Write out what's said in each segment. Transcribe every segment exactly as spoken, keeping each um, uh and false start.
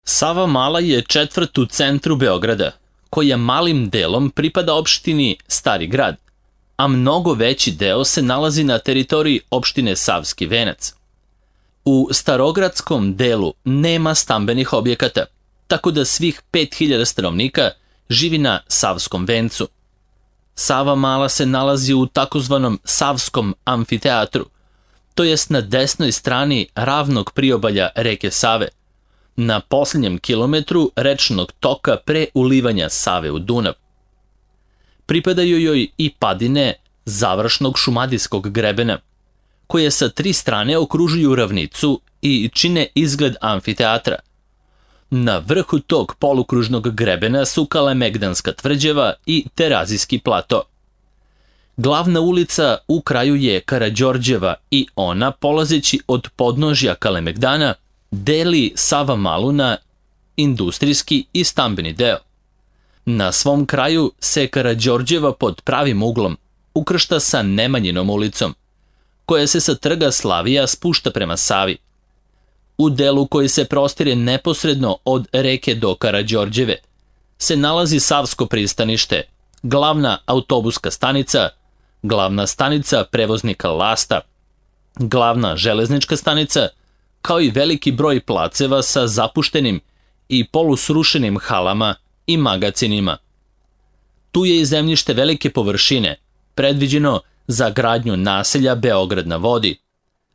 Savamala je četvrt u centru Beograda, koja malim delom pripada opštini Stari grad, a mnogo veći deo se nalazi na teritoriji opštine Savski venac. U starogradskom delu nema stambenih objekata, tako da svih pet hiljada stanovnika živi na Savskom vencu. Savamala se nalazi u takozvanom Savskom amfiteatru, to jest na desnoj strani ravnog priobalja reke Save, na posljednjem kilometru rečnog toka pre ulivanja Save u Dunav. Pripadaju joj i padine završnog šumadijskog grebena, koje sa tri strane okružuju ravnicu i čine izgled amfiteatra. Na vrhu tog polukružnog grebena su Kalemegdanska tvrđava i Terazijski plato. Glavna ulica u kraju je Karađorđeva i ona, polazeći od podnožja Kalemegdana, deli Savamalu na industrijski i stambeni deo. Na svom kraju se Karađorđeva pod pravim uglom ukršta sa Nemanjinom ulicom, koja se sa trga Slavija spušta prema Savi. U delu koji se prostire neposredno od reke do Karađorđeve se nalazi Savsko pristanište, glavna autobuska stanica, glavna stanica prevoznika lasta, glavna železnička stanica, kao i veliki broj placeva sa zapuštenim i polusrušenim halama i magacinima. Tu je i zemljište velike površine, predviđeno za gradnju naselja Beograd na vodi,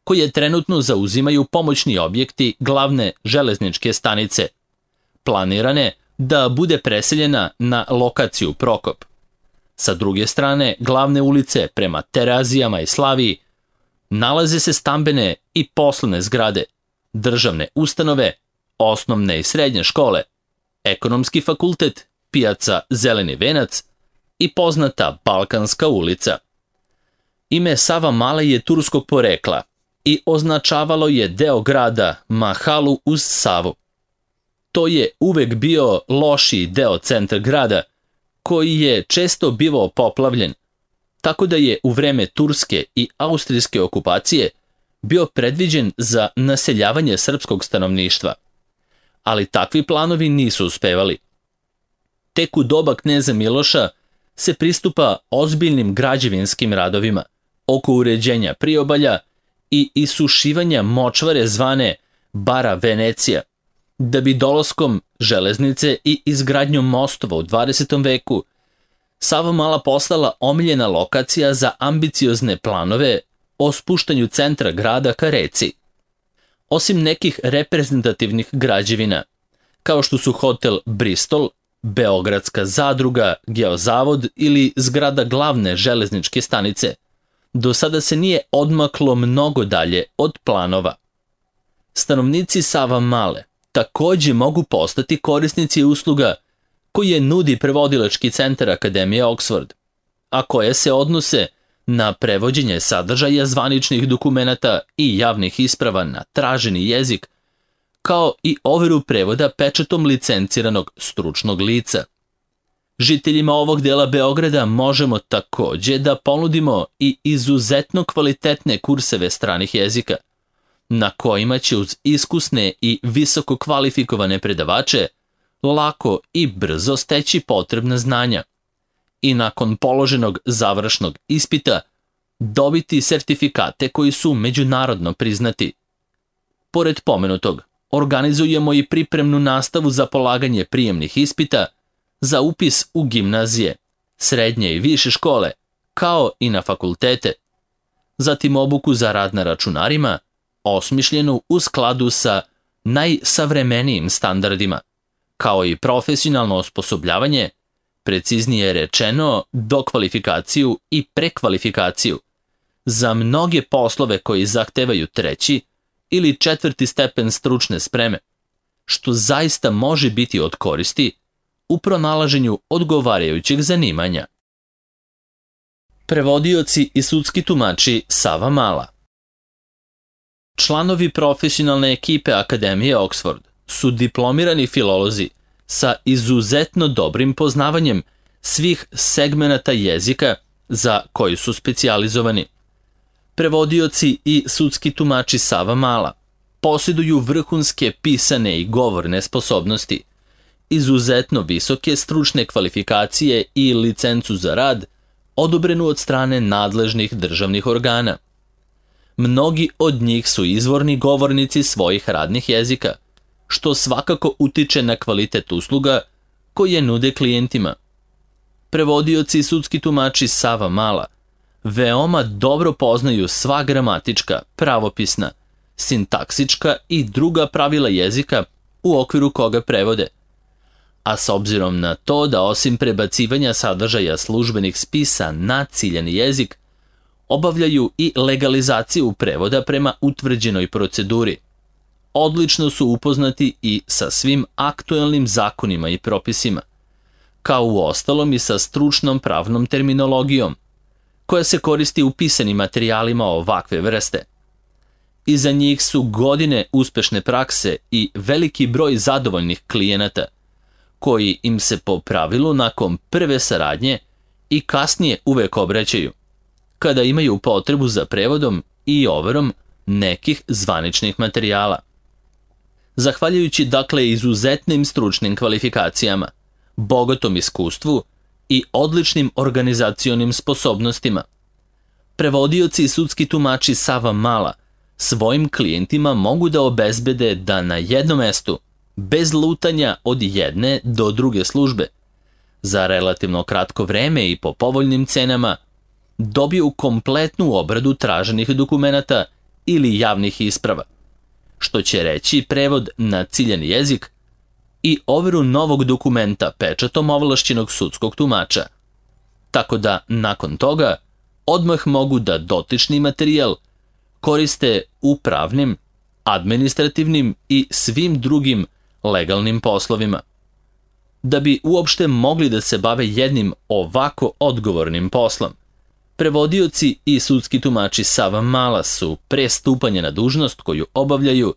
koje trenutno zauzimaju pomoćni objekti glavne železničke stanice, planirane da bude preseljena na lokaciju Prokop. Sa druge strane glavne ulice prema Terazijama i Slaviji nalaze se stambene i poslovne zgrade, državne ustanove, osnovne i srednje škole, ekonomski fakultet, pijaca Zeleni venac i poznata Balkanska ulica. Ime Savamala je turskog porekla i označavalo je deo grada Mahalu uz Savu. To je uvek bio lošiji deo centra grada, koji je često bivao poplavljen, tako da je u vreme turske i austrijske okupacije bio predviđen za naseljavanje srpskog stanovništva. Ali takvi planovi nisu uspevali. Tek u doba kneza Miloša se pristupa ozbiljnim građevinskim radovima oko uređenja priobalja i isušivanja močvare zvane Bara Venecija, da bi dolaskom železnice i izgradnjom mostova u dvadesetom veku Savamala postala omiljena lokacija za ambiciozne planove o spuštanju centra grada ka reci. Osim nekih reprezentativnih građevina, kao što su hotel Bristol, Beogradska zadruga, Geozavod ili zgrada glavne železničke stanice, do sada se nije odmaklo mnogo dalje od planova. Stanovnici Savamale takođe mogu postati korisnici usluga koje nudi prevodilački centar Akademije Oxford, a koje se odnose na prevođenje sadržaja zvaničnih dokumenata i javnih isprava na traženi jezik, kao i overu prevoda pečatom licenciranog stručnog lica. Žiteljima ovog dela Beograda možemo takođe da ponudimo i izuzetno kvalitetne kurseve stranih jezika, na kojima će uz iskusne i visoko kvalifikovane predavače lako i brzo steći potrebna znanja i nakon položenog završnog ispita dobiti sertifikate koji su međunarodno priznati. Pored pomenutog, organizujemo i pripremnu nastavu za polaganje prijemnih ispita za upis u gimnazije, srednje i više škole, kao i na fakultete. Zatim obuku za rad na računarima, osmišljenu u skladu sa najsavremenijim standardima, kao i profesionalno osposobljavanje, preciznije rečeno dokvalifikaciju i prekvalifikaciju, za mnoge poslove koji zahtevaju treći ili četvrti stepen stručne spreme, što zaista može biti od koristi u pronalaženju odgovarajućeg zanimanja. Prevodioci i sudski tumači Savamala. Članovi profesionalne ekipe Akademije Oxford su diplomirani filolozi sa izuzetno dobrim poznavanjem svih segmenata jezika za koji su specijalizovani. Prevodioci i sudski tumači Savamala posjeduju vrhunske pisane i govorne sposobnosti, izuzetno visoke stručne kvalifikacije i licencu za rad, odobrenu od strane nadležnih državnih organa. Mnogi od njih su izvorni govornici svojih radnih jezika, što svakako utiče na kvalitet usluga koje nude klijentima. Prevodioci i sudski tumači Sava Mala veoma dobro poznaju sva gramatička, pravopisna, sintaksička i druga pravila jezika u okviru koga prevode. A s obzirom na to da osim prebacivanja sadržaja službenih spisa na ciljani jezik, obavljaju i legalizaciju prevoda prema utvrđenoj proceduri. Odlično su upoznati i sa svim aktuelnim zakonima i propisima, kao u ostalom i sa stručnom pravnom terminologijom, koja se koristi u pisanim materijalima ovakve vrste. Iza njih su godine uspešne prakse i veliki broj zadovoljnih klijenata, koji im se po pravilu nakon prve saradnje i kasnije uvek obraćaju, kada imaju potrebu za prevodom i overom nekih zvaničnih materijala. Zahvaljujući dakle izuzetnim stručnim kvalifikacijama, bogatom iskustvu i odličnim organizacionim sposobnostima, prevodioci i sudski tumači Sava Mala svojim klijentima mogu da obezbede da na jednom mestu, bez lutanja od jedne do druge službe, za relativno kratko vreme i po povoljnim cenama, dobiju kompletnu obradu traženih dokumenata ili javnih isprava, što će reći prevod na ciljani jezik i overu novog dokumenta pečatom ovlašćenog sudskog tumača, tako da nakon toga odmah mogu da dotični materijal koriste u pravnim, administrativnim i svim drugim legalnim poslovima. Da bi uopšte mogli da se bave jednim ovako odgovornim poslom, prevodioci i sudski tumači Sava Mala su pre stupanja na dužnost koju obavljaju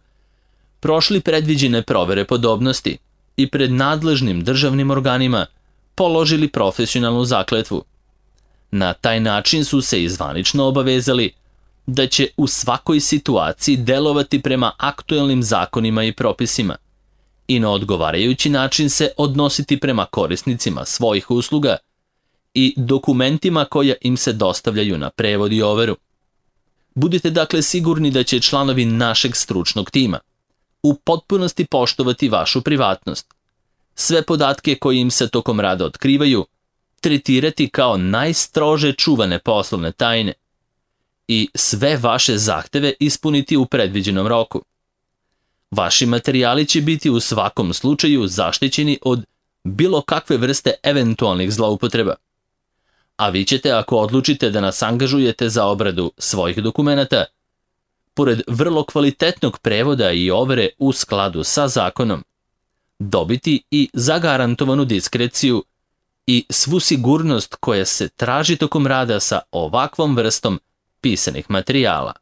prošli predviđene provere podobnosti i pred nadležnim državnim organima položili profesionalnu zakletvu. Na taj način su se izvanično obavezali da će u svakoj situaciji delovati prema aktuelnim zakonima i propisima i na odgovarajući način se odnositi prema korisnicima svojih usluga i dokumentima koja im se dostavljaju na prevod i overu. Budite dakle sigurni da će članovi našeg stručnog tima u potpunosti poštovati vašu privatnost, sve podatke koje im se tokom rada otkrivaju tretirati kao najstrože čuvane poslovne tajne i sve vaše zahteve ispuniti u predviđenom roku. Vaši materijali će biti u svakom slučaju zaštićeni od bilo kakve vrste eventualnih zloupotreba. A vi ćete, ako odlučite da nas angažujete za obradu svojih dokumenata, pored vrlo kvalitetnog prevoda i overe u skladu sa zakonom, dobiti i zagarantovanu diskreciju i svu sigurnost koja se traži tokom rada sa ovakvom vrstom pisanih materijala.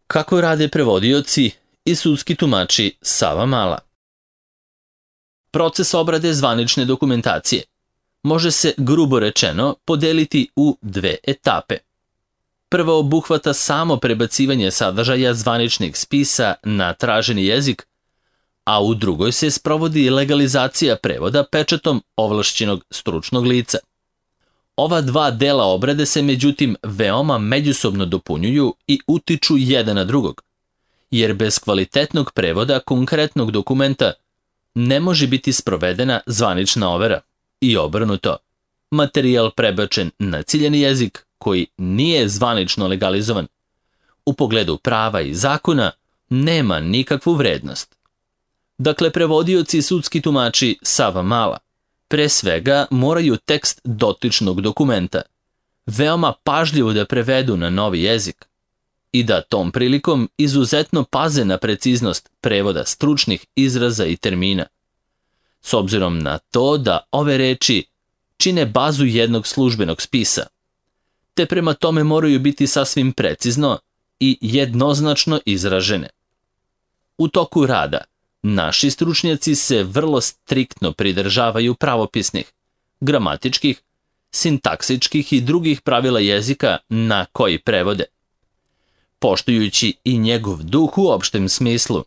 Kako rade prevodioci i sudski tumači Sava Mala? Proces obrade zvanične dokumentacije može se, grubo rečeno, podeliti u dve etape. Prva obuhvata samo prebacivanje sadržaja zvaničnih spisa na traženi jezik, a u drugoj se sprovodi legalizacija prevoda pečatom ovlašćenog stručnog lica. Ova dva dela obrade se međutim veoma međusobno dopunjuju i utiču jedan na drugog, jer bez kvalitetnog prevoda konkretnog dokumenta ne može biti sprovedena zvanična overa i obrnuto. Materijal prebačen na ciljani jezik koji nije zvanično legalizovan, u pogledu prava i zakona nema nikakvu vrednost. Dakle, prevodioci i sudski tumači Sava Mala pre svega moraju tekst dotičnog dokumenta veoma pažljivo da prevedu na novi jezik i da tom prilikom izuzetno paze na preciznost prevoda stručnih izraza i termina, s obzirom na to da ove reči čine bazu jednog službenog spisa, te prema tome moraju biti sasvim precizno i jednoznačno izražene. U toku rada naši stručnjaci se vrlo striktno pridržavaju pravopisnih, gramatičkih, sintaksičkih i drugih pravila jezika na koji prevode. poštujući i njegov duh u opštem smislu.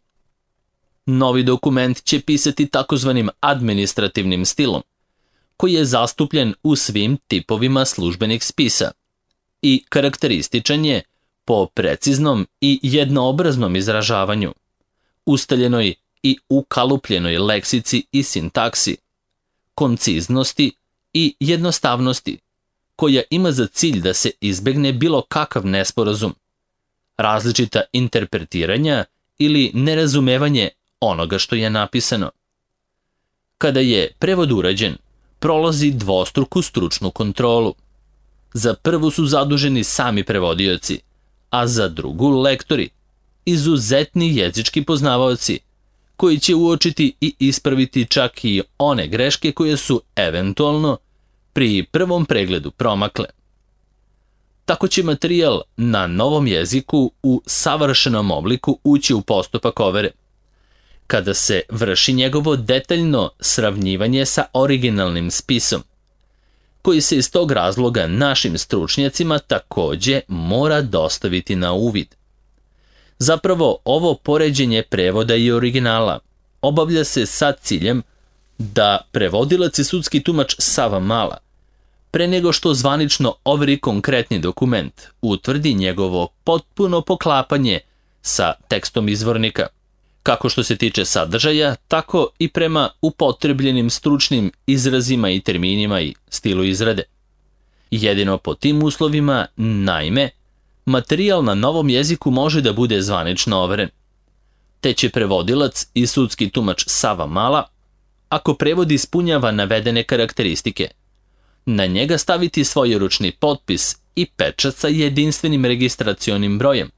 Novi dokument će pisati takozvanim administrativnim stilom, koji je zastupljen u svim tipovima službenih spisa i karakterističan je po preciznom i jednoobraznom izražavanju, ustaljenoj i ukalupljenoj leksici i sintaksi, konciznosti i jednostavnosti, koja ima za cilj da se izbegne bilo kakav nesporazum, različita interpretiranja ili nerazumevanje onoga što je napisano. Kada je prevod urađen, prolazi dvostruku stručnu kontrolu. Za prvu su zaduženi sami prevodioci, a za drugu lektori, izuzetni jezički poznavaoci, koji će uočiti i ispraviti čak i one greške koje su eventualno pri prvom pregledu promakle. Tako će materijal na novom jeziku u savršenom obliku ući u postupak overe, kada se vrši njegovo detaljno sravnjivanje sa originalnim spisom, koji se iz tog razloga našim stručnjacima takođe mora dostaviti na uvid. Zapravo, ovo poređenje prevoda i originala obavlja se sa ciljem da prevodilac i sudski tumač Sava Mala, pre nego što zvanično overi konkretni dokument, utvrdi njegovo potpuno poklapanje sa tekstom izvornika, kako što se tiče sadržaja, tako i prema upotrebljenim stručnim izrazima i terminima i stilu izrade. Jedino po tim uslovima, naime, materijal na novom jeziku može da bude zvanično overen, te će prevodilac i sudski tumač Sava Mala, ako prevod ispunjava navedene karakteristike, na njega staviti svojeručni potpis i pečat sa jedinstvenim registracionim brojem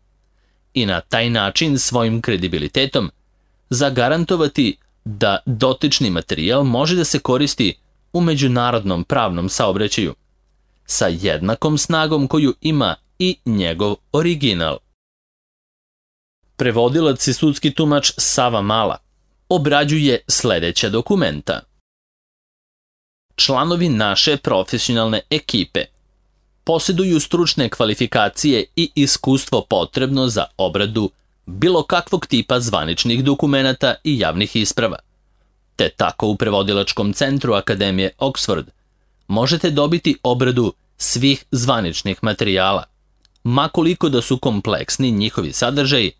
i na taj način svojim kredibilitetom zagarantovati da dotični materijal može da se koristi u međunarodnom pravnom saobraćaju sa jednakom snagom koju ima i njegov original. Prevodilac i sudski tumač Sava Mala obrađuje sledeća dokumenta. Članovi naše profesionalne ekipe posjeduju stručne kvalifikacije i iskustvo potrebno za obradu bilo kakvog tipa zvaničnih dokumenata i javnih isprava, te tako u prevodilačkom centru Akademije Oxford možete dobiti obradu svih zvaničnih materijala, makoliko da su kompleksni njihovi sadržaji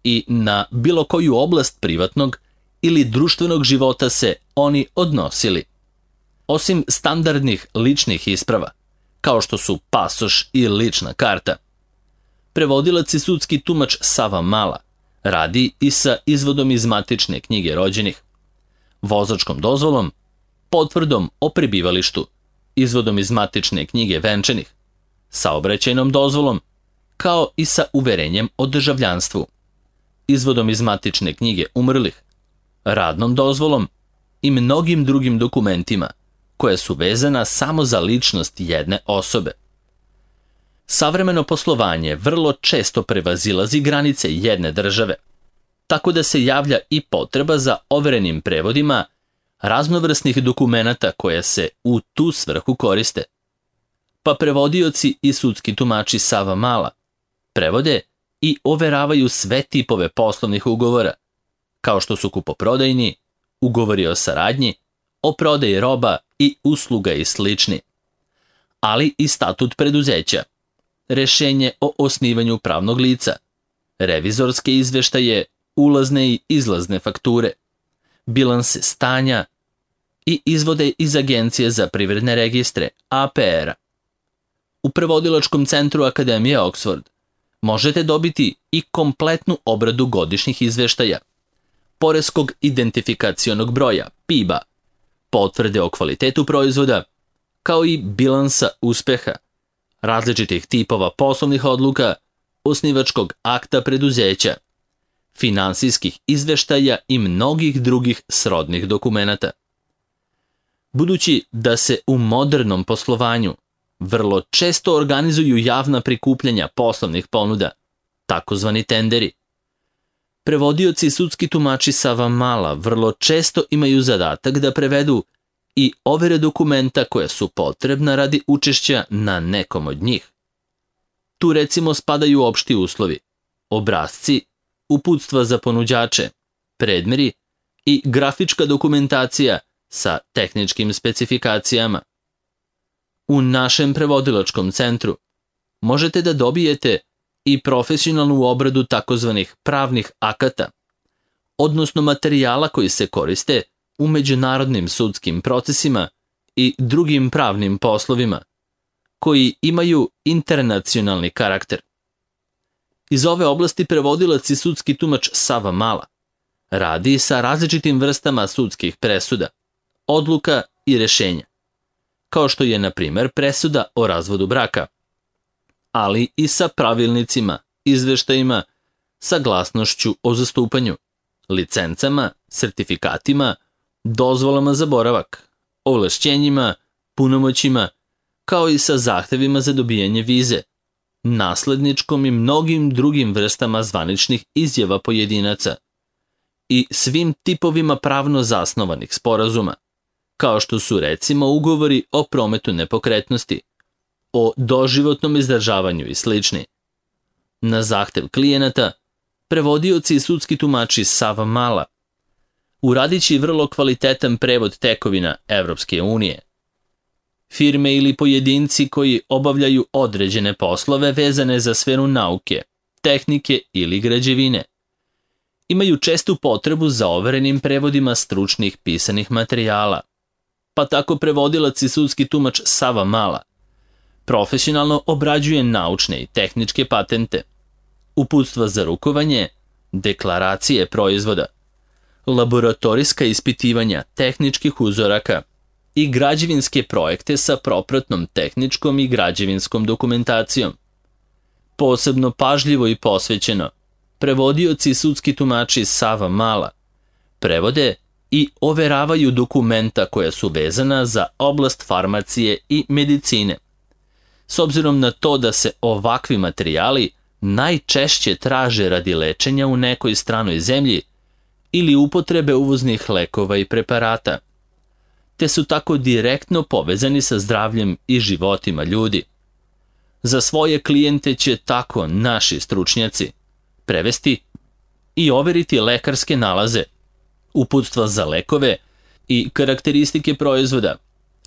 i na bilo koju oblast privatnog ili društvenog života se oni odnosili. Osim standardnih ličnih isprava, kao što su pasoš i lična karta, prevodilac i sudski tumač Sava Mala radi i sa izvodom iz matične knjige rođenih, vozačkom dozvolom, potvrdom o prebivalištu, izvodom iz matične knjige venčanih, saobraćajnom dozvolom, kao i sa uverenjem o državljanstvu, izvodom iz matične knjige umrlih, radnom dozvolom i mnogim drugim dokumentima koja su vezana samo za ličnost jedne osobe. Savremeno poslovanje vrlo često prevazilazi granice jedne države, tako da se javlja i potreba za overenim prevodima raznovrsnih dokumenata koje se u tu svrhu koriste. Pa prevodioci i sudski tumači Sava Mala prevode i overavaju sve tipove poslovnih ugovora, kao što su kupoprodajni, ugovori o saradnji, o prodaji roba i usluga i slični, ali i statut preduzeća, rešenje o osnivanju pravnog lica, revizorske izveštaje, ulazne i izlazne fakture, bilanse stanja i izvode iz Agencije za privredne registre A P R-a. U prevodilačkom centru Akademije Oxford možete dobiti i kompletnu obradu godišnjih izveštaja, poreskog identifikacionog broja P I B-a, potvrde o kvalitetu proizvoda, kao i bilansa uspeha, različitih tipova poslovnih odluka, osnivačkog akta preduzeća, finansijskih izveštaja i mnogih drugih srodnih dokumenata. Budući da se u modernom poslovanju vrlo često organizuju javna prikupljanja poslovnih ponuda, takozvani tenderi, prevodioci i sudski tumači Sava Mala vrlo često imaju zadatak da prevedu i overe dokumenta koja su potrebna radi učešća na nekom od njih. Tu recimo spadaju opšti uslovi, obrasci, uputstva za ponuđače, predmeri i grafička dokumentacija sa tehničkim specifikacijama. U našem prevodilačkom centru možete da dobijete i profesionalnu obradu takozvanih pravnih akata, odnosno materijala koji se koriste u međunarodnim sudskim procesima i drugim pravnim poslovima, koji imaju internacionalni karakter. Iz ove oblasti prevodilac i sudski tumač Sava Mala radi sa različitim vrstama sudskih presuda, odluka i rešenja, kao što je, na primer, presuda o razvodu braka, ali i sa pravilnicima, izveštajima, saglasnošću o zastupanju, licencama, sertifikatima, dozvolama za boravak, ovlašćenjima, punomoćima, kao i sa zahtevima za dobijanje vize, nasledničkom i mnogim drugim vrstama zvaničnih izjava pojedinaca i svim tipovima pravno zasnovanih sporazuma, kao što su recimo ugovori o prometu nepokretnosti, o doživotnom izdržavanju i slični. Na zahtev klijenata, prevodioci i sudski tumači Sava Mala uradići vrlo kvalitetan prevod tekovina Evropske unije. Firme ili pojedinci koji obavljaju određene poslove vezane za sferu nauke, tehnike ili građevine imaju čestu potrebu za overenim prevodima stručnih pisanih materijala, pa tako prevodilac i sudski tumač Sava Mala profesionalno obrađuje naučne i tehničke patente, uputstva za rukovanje, deklaracije proizvoda, laboratorijska ispitivanja tehničkih uzoraka i građevinske projekte sa propratnom tehničkom i građevinskom dokumentacijom. Posebno pažljivo i posvećeno, prevodioci i sudski tumači Sava Mala prevode i overavaju dokumenta koja su vezana za oblast farmacije i medicine, s obzirom na to da se ovakvi materijali najčešće traže radi lečenja u nekoj stranoj zemlji ili upotrebe uvoznih lekova i preparata, te su tako direktno povezani sa zdravljem i životima ljudi. Za svoje klijente će tako naši stručnjaci prevesti i overiti lekarske nalaze, uputstva za lekove i karakteristike proizvoda,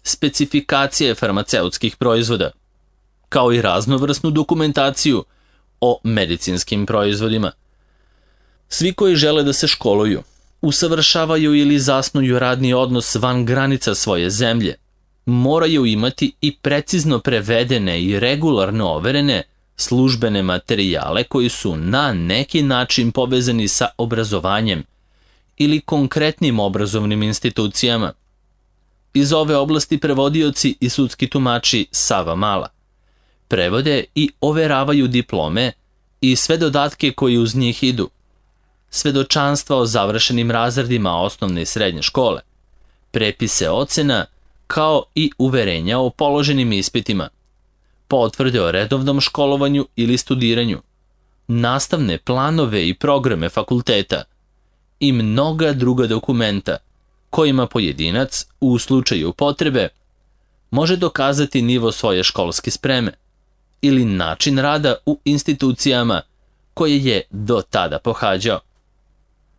specifikacije farmaceutskih proizvoda, kao i raznovrsnu dokumentaciju o medicinskim proizvodima. Svi koji žele da se školuju, usavršavaju ili zasnuju radni odnos van granica svoje zemlje, moraju imati i precizno prevedene i regularno overene službene materijale koji su na neki način povezani sa obrazovanjem ili konkretnim obrazovnim institucijama. Iz ove oblasti prevodioci i sudski tumači Sava Mala prevode i overavaju diplome i sve dodatke koji uz njih idu, svedočanstva o završenim razredima osnovne i srednje škole, prepise ocena, kao i uverenja o položenim ispitima, potvrde o redovnom školovanju ili studiranju, nastavne planove i programe fakulteta i mnoga druga dokumenta kojima pojedinac, u slučaju potrebe, može dokazati nivo svoje školske spreme ili način rada u institucijama koje je do tada pohađao.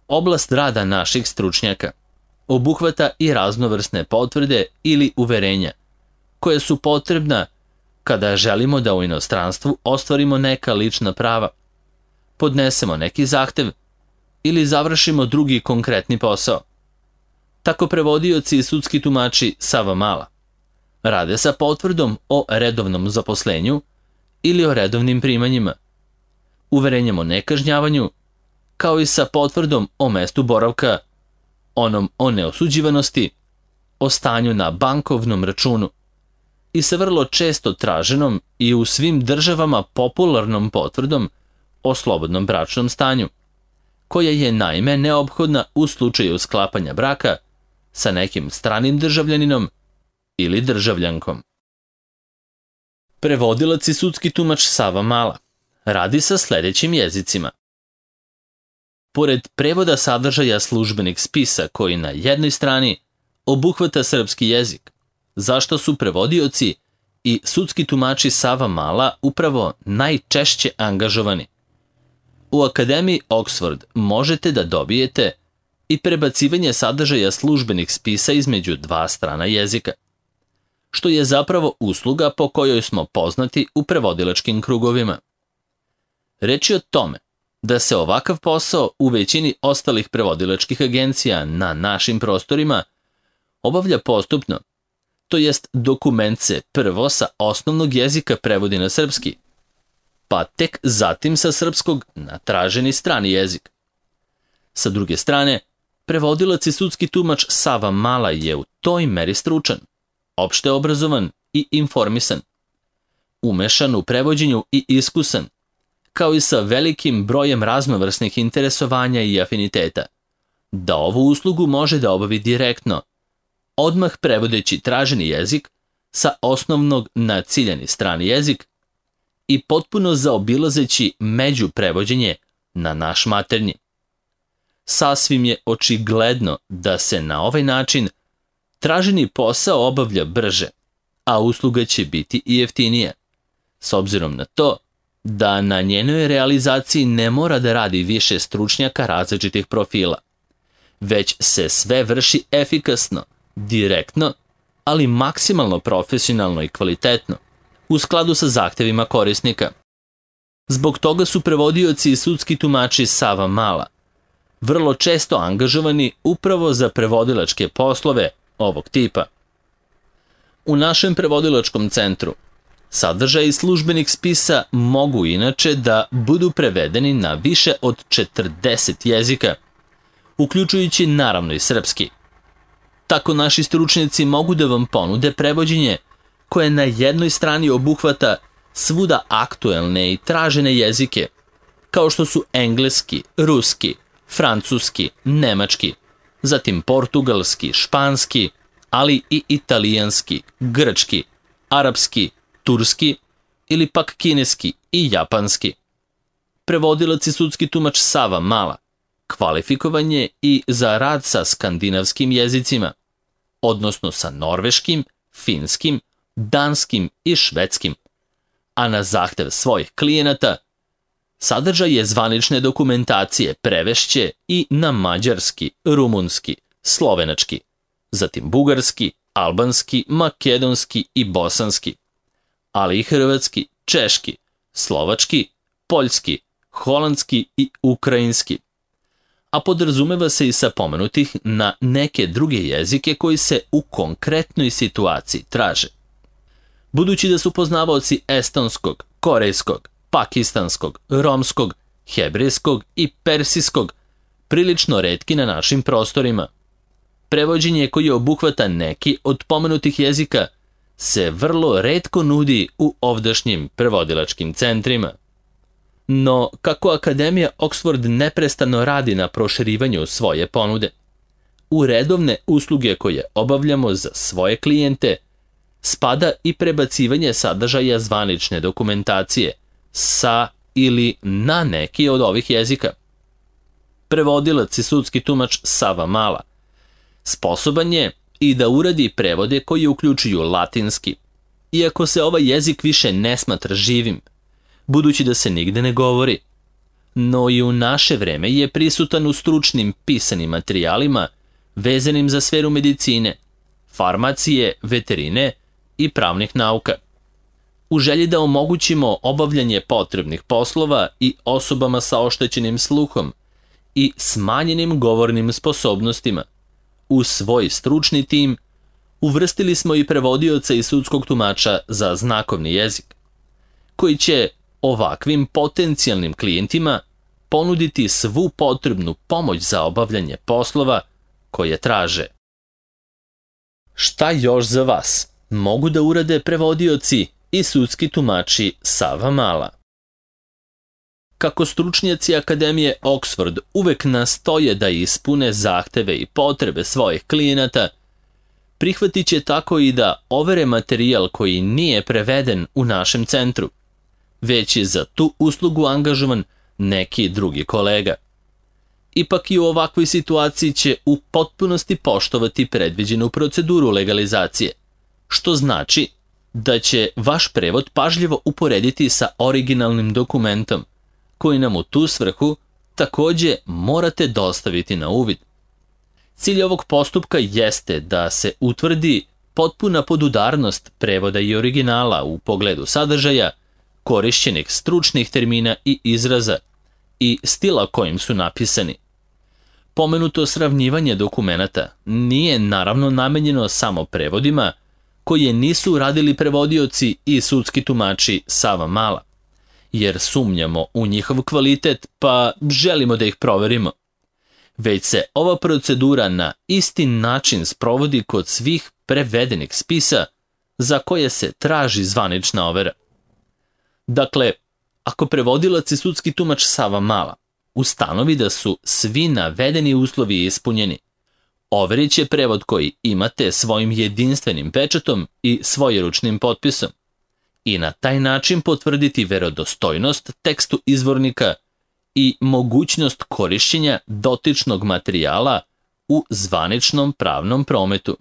Oblast rada naših stručnjaka obuhvata i raznovrsne potvrde ili uverenja, koje su potrebna kada želimo da u inostranstvu ostvarimo neka lična prava, podnesemo neki zahtev ili završimo drugi konkretni posao. Tako prevodioci i sudski tumači Sava Mala rade sa potvrdom o redovnom zaposlenju ili o redovnim primanjima, uverenjem o nekažnjavanju, kao i sa potvrdom o mestu boravka, onom o neosuđivanosti, o stanju na bankovnom računu i sa vrlo često traženom i u svim državama popularnom potvrdom o slobodnom bračnom stanju, koja je naime neophodna u slučaju sklapanja braka sa nekim stranim državljaninom ili državljankom. Prevodilac i sudski tumač Sava Mala radi sa sledećim jezicima. Pored prevoda sadržaja službenih spisa koji na jednoj strani obuhvata srpski jezik, zašto su prevodioci i sudski tumači Sava Mala upravo najčešće angažovani. U Akademiji Oxford možete da dobijete i prebacivanje sadržaja službenih spisa između dva strana jezika, što je zapravo usluga po kojoj smo poznati u prevodilačkim krugovima. Reč je o tome da se ovakav posao u većini ostalih prevodilačkih agencija na našim prostorima obavlja postupno, to jest dokument se prvo sa osnovnog jezika prevodi na srpski, pa tek zatim sa srpskog na traženi strani jezik. Sa druge strane, prevodilac i sudski tumač Sava Mala je u toj meri stručan, opšte obrazovan i informisan, umešan u prevođenju i iskusan, kao i sa velikim brojem raznovrsnih interesovanja i afiniteta, da ovu uslugu može da obavi direktno, odmah prevodeći traženi jezik sa osnovnog na ciljani strani jezik i potpuno zaobilazeći međuprevođenje na naš maternji. Sasvim je očigledno da se na ovaj način traženi posao obavlja brže, a usluga će biti i jeftinija, s obzirom na to da na njenoj realizaciji ne mora da radi više stručnjaka različitih profila, već se sve vrši efikasno, direktno, ali maksimalno profesionalno i kvalitetno, u skladu sa zahtevima korisnika. Zbog toga su prevodioci i sudski tumači Sava Mala vrlo često angažovani upravo za prevodilačke poslove ovog tipa. U našem prevodilačkom centru sadržaji službenih spisa mogu inače da budu prevedeni na više od četrdeset jezika, uključujući naravno i srpski. Tako naši stručnjaci mogu da vam ponude prevođenje koje na jednoj strani obuhvata svuda aktuelne i tražene jezike, kao što su engleski, ruski, francuski, nemački, zatim portugalski, španski, ali i italijanski, grčki, arapski, turski ili pak kineski i japanski. Prevodilac i sudski tumač Sava Mala kvalifikovan je i za rad sa skandinavskim jezicima, odnosno sa norveškim, finskim, danskim i švedskim, a na zahtev svojih klijenata sadržaj je zvanične dokumentacije prevešće i na mađarski, rumunski, slovenački, zatim bugarski, albanski, makedonski i bosanski, ali i hrvatski, češki, slovački, poljski, holandski i ukrajinski, a podrazumeva se i sa pomenutih na neke druge jezike koji se u konkretnoj situaciji traže. Budući da su poznavaoci estonskog, korejskog, pakistanskog, romskog, hebrejskog i persijskog prilično retki na našim prostorima, prevođenje koje obuhvata neki od pomenutih jezika se vrlo retko nudi u ovdašnjim prevodilačkim centrima. No, kako Akademija Oxford neprestano radi na proširivanju svoje ponude, u redovne usluge koje obavljamo za svoje klijente spada i prebacivanje sadržaja zvanične dokumentacije sa ili na neki od ovih jezika. Prevodilac i sudski tumač Sava Mala sposoban je i da uradi prevode koji uključuju latinski, iako se ovaj jezik više ne smatra živim, budući da se nigde ne govori, no i u naše vreme je prisutan u stručnim pisanim materijalima vezanim za sferu medicine, farmacije, veterine i pravnih nauka. U želji da omogućimo obavljanje potrebnih poslova i osobama sa oštećenim sluhom i smanjenim govornim sposobnostima, u svoj stručni tim uvrstili smo i prevodioca i sudskog tumača za znakovni jezik, koji će ovakvim potencijalnim klijentima ponuditi svu potrebnu pomoć za obavljanje poslova koje traže. Šta još za vas mogu da urade prevodioci i sudski tumači Sava Mala? Kako stručnjaci Akademije Oxford uvek nastoje da ispune zahteve i potrebe svojih klijenata, prihvatit će tako i da overe materijal koji nije preveden u našem centru, već je za tu uslugu angažovan neki drugi kolega. Ipak i u ovakvoj situaciji će u potpunosti poštovati predviđenu proceduru legalizacije, što znači da će vaš prevod pažljivo uporediti sa originalnim dokumentom, koji nam u tu svrhu takođe morate dostaviti na uvid. Cilj ovog postupka jeste da se utvrdi potpuna podudarnost prevoda i originala u pogledu sadržaja, korišćenih stručnih termina i izraza i stila kojim su napisani. Pomenuto sravnjivanje dokumenata nije naravno namenjeno samo prevodima koje nisu radili prevodioci i sudski tumači Savamala, jer sumnjamo u njihov kvalitet pa želimo da ih proverimo. Već se ova procedura na isti način sprovodi kod svih prevedenih spisa za koje se traži zvanična overa. Dakle, ako prevodilac i sudski tumač Savamala ustanovi da su svi navedeni uslovi ispunjeni, overit će prevod koji imate svojim jedinstvenim pečatom i svojeručnim potpisom i na taj način potvrditi verodostojnost tekstu izvornika i mogućnost korišćenja dotičnog materijala u zvaničnom pravnom prometu.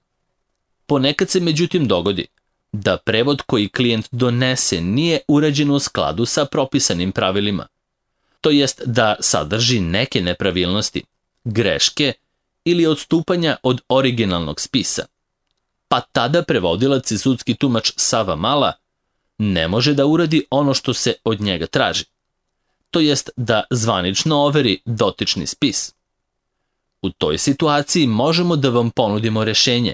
Ponekad se međutim dogodi da prevod koji klijent donese nije urađen u skladu sa propisanim pravilima, to jest da sadrži neke nepravilnosti, greške ili odstupanja od originalnog spisa. Pa tada prevodilac i sudski tumač Savamala ne može da uradi ono što se od njega traži, to jest da zvanično overi dotični spis. U toj situaciji možemo da vam ponudimo rešenje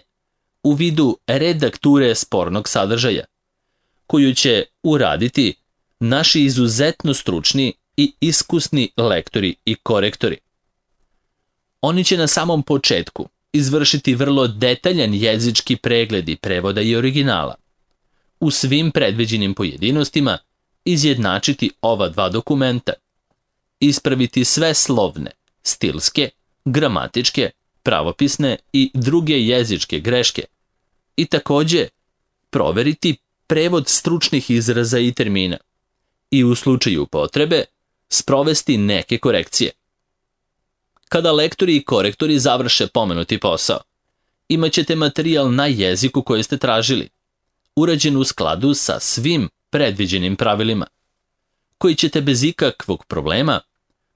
u vidu redakture spornog sadržaja, koju će uraditi naši izuzetno stručni i iskusni lektori i korektori. Oni će na samom početku izvršiti vrlo detaljan jezički pregled i prevoda i originala. U svim predviđenim pojedinostima izjednačiti ova dva dokumenta, ispraviti sve slovne, stilske, gramatičke, pravopisne i druge jezičke greške i takođe proveriti prevod stručnih izraza i termina i u slučaju potrebe sprovesti neke korekcije. Kada lektori i korektori završe pomenuti posao, imaćete materijal na jeziku koji ste tražili, urađen u skladu sa svim predviđenim pravilima, koji ćete bez ikakvog problema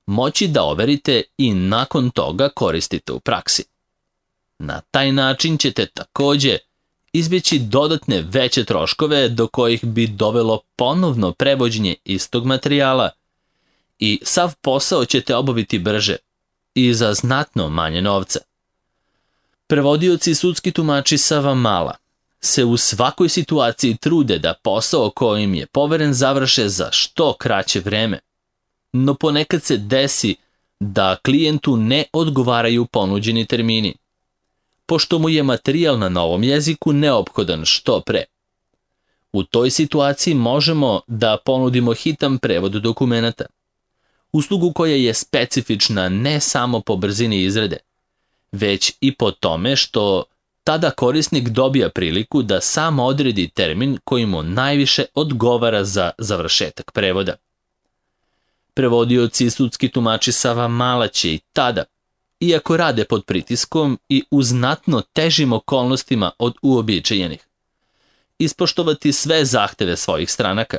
moći da overite i nakon toga koristite u praksi. Na taj način ćete takođe izbjeći dodatne veće troškove do kojih bi dovelo ponovno prevođenje istog materijala i sav posao ćete obaviti brže i za znatno manje novca. Prevodioci i sudski tumači Savamala se u svakoj situaciji trude da posao kojim je poveren završe za što kraće vreme, no ponekad se desi da klijentu ne odgovaraju ponuđeni termini, pošto mu je materijal na novom jeziku neophodan što pre. U toj situaciji možemo da ponudimo hitan prevod dokumenata, uslugu koja je specifična ne samo po brzini izrade, već i po tome što tada korisnik dobija priliku da sam odredi termin koji mu najviše odgovara za završetak prevoda. Prevodioci i sudski tumači Savamala će i tada, iako rade pod pritiskom i u znatno težim okolnostima od uobičajenih, ispoštovati sve zahteve svojih stranaka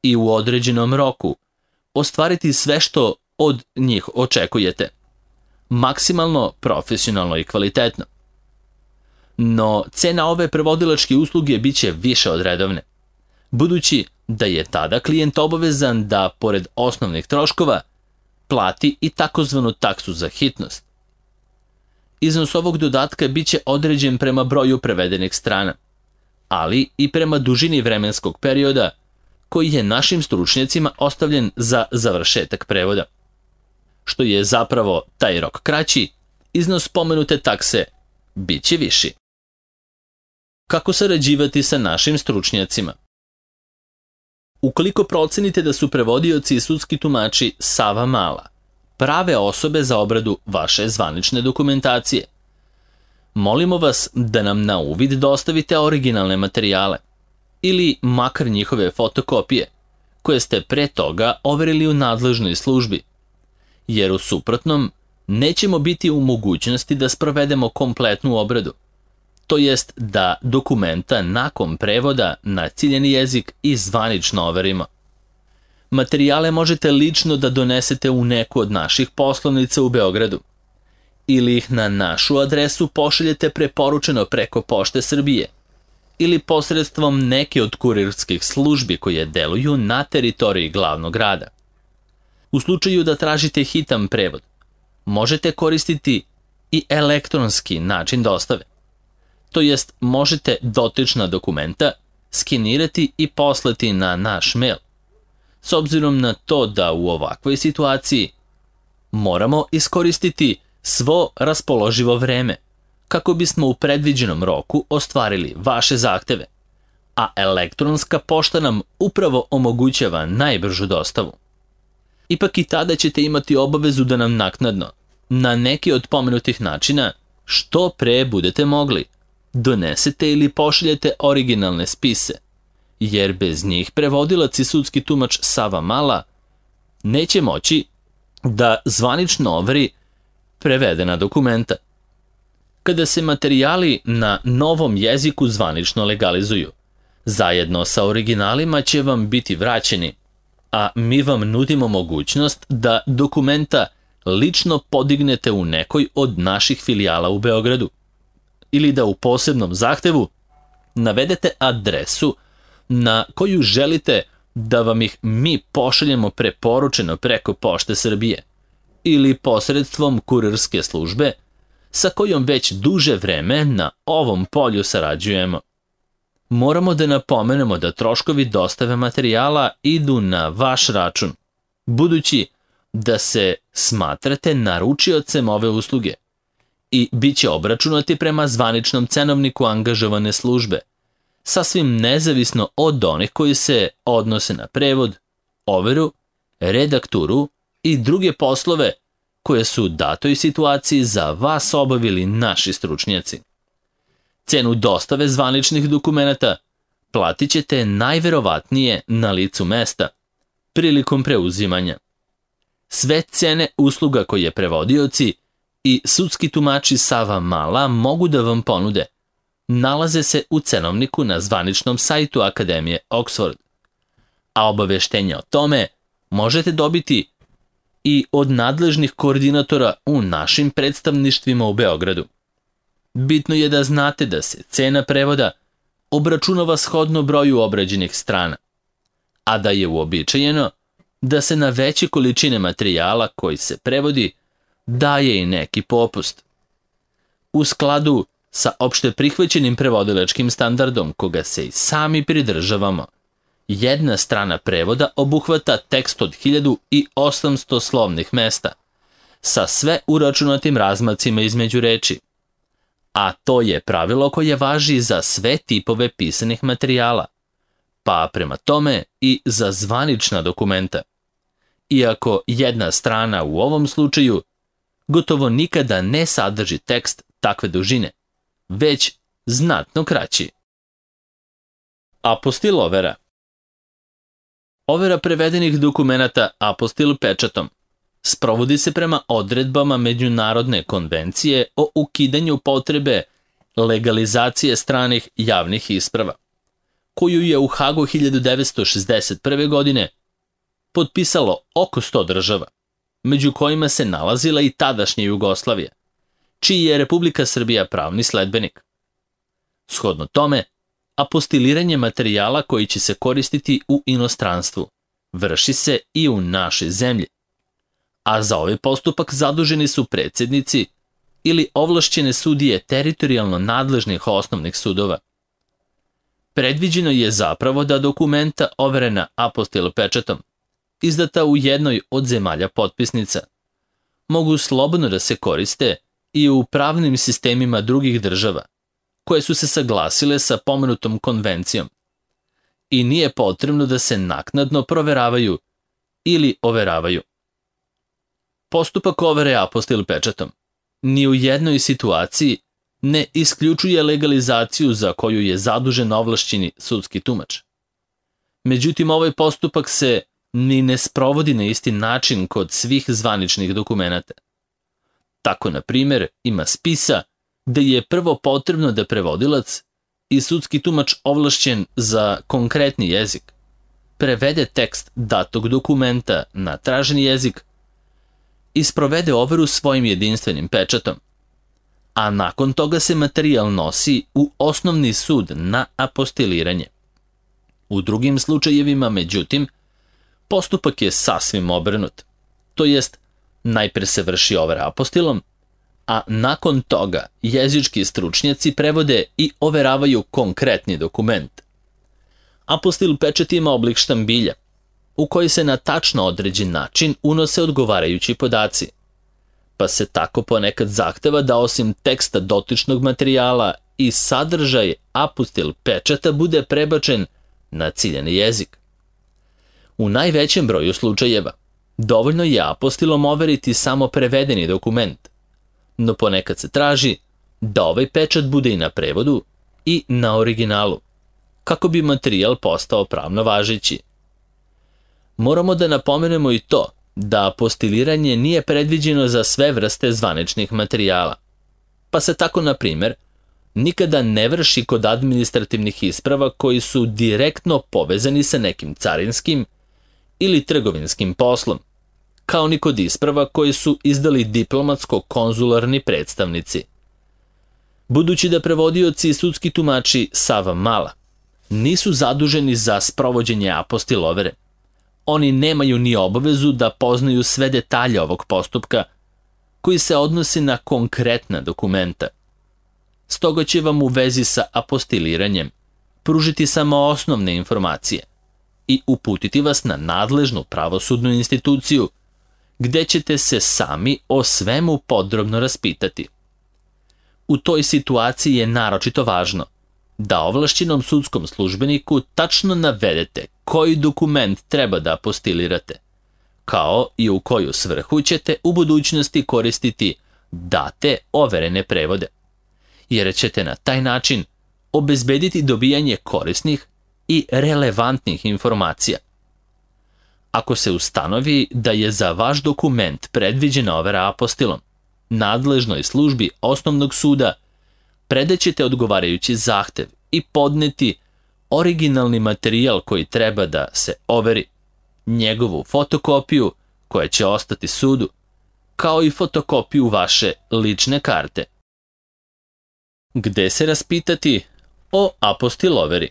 i u određenom roku ostvariti sve što od njih očekujete, maksimalno profesionalno i kvalitetno. No, cena ove prevodilačke usluge biće više od redovne, budući da je tada klijent obavezan da, pored osnovnih troškova, plati i takozvanu taksu za hitnost. Iznos ovog dodatka biće određen prema broju prevedenih strana, ali i prema dužini vremenskog perioda koji je našim stručnjacima ostavljen za završetak prevoda. Što je zapravo taj rok kraći, iznos pomenute takse biće viši. Kako sarađivati sa našim stručnjacima? Ukoliko procenite da su prevodioci i sudski tumači Savamala prave osobe za obradu vaše zvanične dokumentacije, molimo vas da nam na uvid dostavite originalne materijale ili makar njihove fotokopije koje ste pre toga overili u nadležnoj službi, jer u suprotnom nećemo biti u mogućnosti da sprovedemo kompletnu obradu, to jest da dokumenta nakon prevoda na ciljeni jezik i zvanično overimo. Materijale možete lično da donesete u neku od naših poslovnica u Beogradu ili ih na našu adresu pošaljete preporučeno preko Pošte Srbije ili posredstvom neke od kurirskih službi koje deluju na teritoriji glavnog grada. U slučaju da tražite hitan prevod, možete koristiti i elektronski način dostave. To jest, možete dotična dokumenta skenirati i poslati na naš mail. S obzirom na to da u ovakvoj situaciji moramo iskoristiti svo raspoloživo vreme kako bismo u predviđenom roku ostvarili vaše zahteve, a elektronska pošta nam upravo omogućava najbržu dostavu. Ipak i tada ćete imati obavezu da nam naknadno, na neki od pomenutih načina, što pre budete mogli, donesete ili pošaljete originalne spise, jer bez njih prevodilac i sudski tumač Sava Mala neće moći da zvanično overi prevedena dokumenta. Kada se materijali na novom jeziku zvanično legalizuju, zajedno sa originalima će vam biti vraćeni, a mi vam nudimo mogućnost da dokumenta lično podignete u nekoj od naših filijala u Beogradu ili da u posebnom zahtevu navedete adresu na koju želite da vam ih mi pošaljemo preporučeno preko Pošte Srbije ili posredstvom kurirske službe sa kojom već duže vreme na ovom polju sarađujemo. Moramo da napomenemo da troškovi dostave materijala idu na vaš račun, budući da se smatrate naručiocem ove usluge i bit će obračunati prema zvaničnom cenovniku angažovane službe, sasvim nezavisno od onih koji se odnose na prevod, overu, redakturu i druge poslove koje su u datoj situaciji za vas obavili naši stručnjaci. Cenu dostave zvaničnih dokumenata platit ćete najverovatnije na licu mesta, prilikom preuzimanja. Sve cene usluga koje prevodioci i sudski tumači Sava Mala mogu da vam ponude nalaze se u cenovniku na zvaničnom sajtu Akademije Oxford, a obaveštenja o tome možete dobiti i od nadležnih koordinatora u našim predstavništvima u Beogradu. Bitno je da znate da se cena prevoda obračunava shodno broju obrađenih strana, a da je uobičajeno da se na veće količine materijala koji se prevodi daje i neki popust. U skladu sa opšte prihvaćenim prevodilačkim standardom koga se i sami pridržavamo, jedna strana prevoda obuhvata tekst od hiljadu osamsto slovnih mesta, sa sve uračunatim razmacima između reči, a to je pravilo koje važi za sve tipove pisanih materijala, pa prema tome i za zvanična dokumenta. Iako jedna strana u ovom slučaju gotovo nikada ne sadrži tekst takve dužine, već znatno kraći. Apostil overa. Overa prevedenih dokumenata apostil pečatom sprovodi se prema odredbama Međunarodne konvencije o ukidanju potrebe legalizacije stranih javnih isprava, koju je u Hagu hiljadu devetsto šezdeset prve. godine potpisalo oko sto država, među kojima se nalazila i tadašnja Jugoslavija, čiji je Republika Srbija pravni sledbenik. Shodno tome, apostiliranje materijala koji će se koristiti u inostranstvu vrši se i u našoj zemlji, a za ovaj postupak zaduženi su predsjednici ili ovlašćene sudije teritorijalno nadležnih osnovnih sudova. Predviđeno je zapravo da dokumenta overena apostil pečatom, izdata u jednoj od zemalja potpisnica, mogu slobodno da se koriste i u pravnim sistemima drugih država, koje su se saglasile sa pomenutom konvencijom, i nije potrebno da se naknadno proveravaju ili overavaju. Postupak overe apostil pečatom ni u jednoj situaciji ne isključuje legalizaciju za koju je zadužen ovlašćeni sudski tumač. Međutim, ovaj postupak se ni ne sprovodi na isti način kod svih zvaničnih dokumenata. Tako, na primjer, ima spisa gde je prvo potrebno da prevodilac i sudski tumač ovlašćen za konkretni jezik prevede tekst datog dokumenta na traženi jezik i sprovede overu svojim jedinstvenim pečatom, a nakon toga se materijal nosi u osnovni sud na apostiliranje. U drugim slučajevima, međutim, postupak je sasvim obrnut, to jest najpre se vrši overa apostilom, a nakon toga jezički stručnjaci prevode i overavaju konkretni dokument. Apostil pečat ima oblik štambilja, u koji se na tačno određen način unose odgovarajući podaci, pa se tako ponekad zahteva da osim teksta dotičnog materijala i sadržaj apostil pečata bude prebačen na ciljani jezik. U najvećem broju slučajeva dovoljno je apostilom overiti samo prevedeni dokument, no ponekad se traži da ovaj pečat bude i na prevodu i na originalu, kako bi materijal postao pravno važeći. Moramo da napomenemo i to da apostiliranje nije predviđeno za sve vrste zvaničnih materijala, pa se tako, na primjer, nikada ne vrši kod administrativnih isprava koji su direktno povezani sa nekim carinskim ili trgovinskim poslom, kao ni kod isprava koje su izdali diplomatsko-konzularni predstavnici. Budući da prevodioci i sudski tumači Sava Mala nisu zaduženi za sprovođenje apostil overe, oni nemaju ni obavezu da poznaju sve detalje ovog postupka koji se odnosi na konkretna dokumenta. Stoga će vam u vezi sa apostiliranjem pružiti samo osnovne informacije i uputiti vas na nadležnu pravosudnu instituciju, gde ćete se sami o svemu podrobno raspitati. U toj situaciji je naročito važno da ovlašćenom sudskom službeniku tačno navedete koji dokument treba da apostilirate, kao i u koju svrhu ćete u budućnosti koristiti date overene prevode, jer ćete na taj način obezbediti dobijanje korisnih i relevantnih informacija. Ako se ustanovi da je za vaš dokument predviđena overa apostilom, nadležnoj službi osnovnog suda predaćete odgovarajući zahtev i podneti originalni materijal koji treba da se overi, njegovu fotokopiju koja će ostati sudu, kao i fotokopiju vaše lične karte. Gde se raspitati o apostil overi?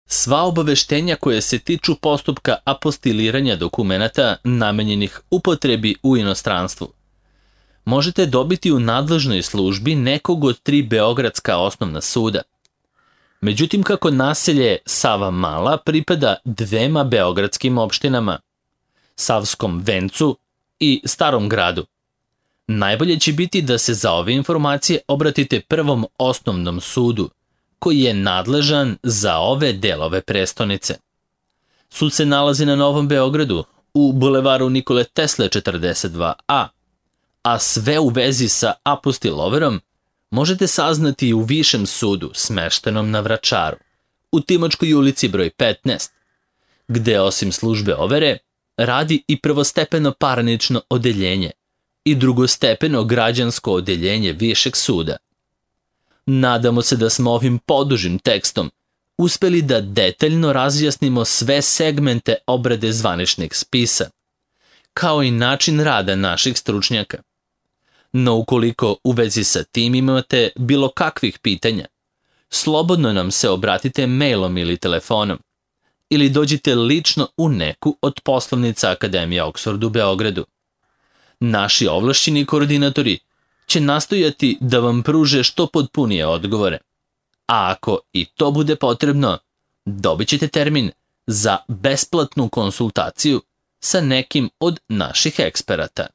Sva obaveštenja koje se tiču postupka apostiliranja dokumenata namenjenih upotrebi u inostranstvu možete dobiti u nadležnoj službi nekog od tri beogradska osnovna suda. Međutim, kako naselje Sava Mala pripada dvema beogradskim opštinama, Savskom Vencu i Starom Gradu, najbolje će biti da se za ove informacije obratite prvom osnovnom sudu, koji je nadležan za ove delove prestonice. Sud se nalazi na Novom Beogradu, u bulevaru Nikole Tesle četrdeset dva a, a sve u vezi sa apostil overom možete saznati i u Višem sudu smeštenom na Vračaru, u Timočkoj ulici broj petnaest, gde osim službe overe radi i prvostepeno parnično odeljenje i drugostepeno građansko odeljenje Višeg suda. Nadamo se da smo ovim podužim tekstom uspeli da detaljno razjasnimo sve segmente obrade zvaničnih spisa, kao i način rada naših stručnjaka. No ukoliko u vezi sa tim imate bilo kakvih pitanja, slobodno nam se obratite mailom ili telefonom, ili dođite lično u neku od poslovnica Akademije Oxford u Beogradu. Naši ovlašćeni koordinatori će nastojati da vam pruže što potpunije odgovore, a ako i to bude potrebno, dobit ćete termin za besplatnu konsultaciju sa nekim od naših eksperata.